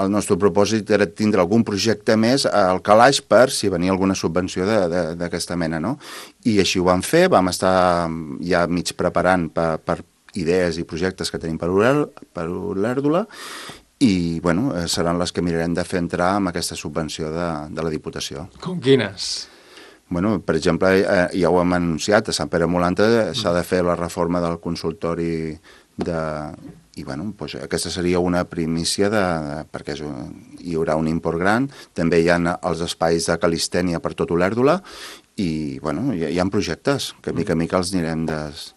el nostre propòsit era tindre algun projecte més al calaix per si venia alguna subvenció d'aquesta mena, no? I així ho vam fer, vam estar ja mig preparant per idees i projectes que tenim per Olèrdola i, bueno, seran les que mirarem de fer entrar amb aquesta subvenció de la Diputació. Com quines? Bueno, per exemple, ja ho hem anunciat, a Sant Pere Molanta s'ha de fer la reforma del consultori i bueno, doncs aquesta seria una primícia perquè hi haurà un import gran. També hi ha els espais de calistènia per tot Olèrdola i bueno, hi ha projectes que mica en mica els anirem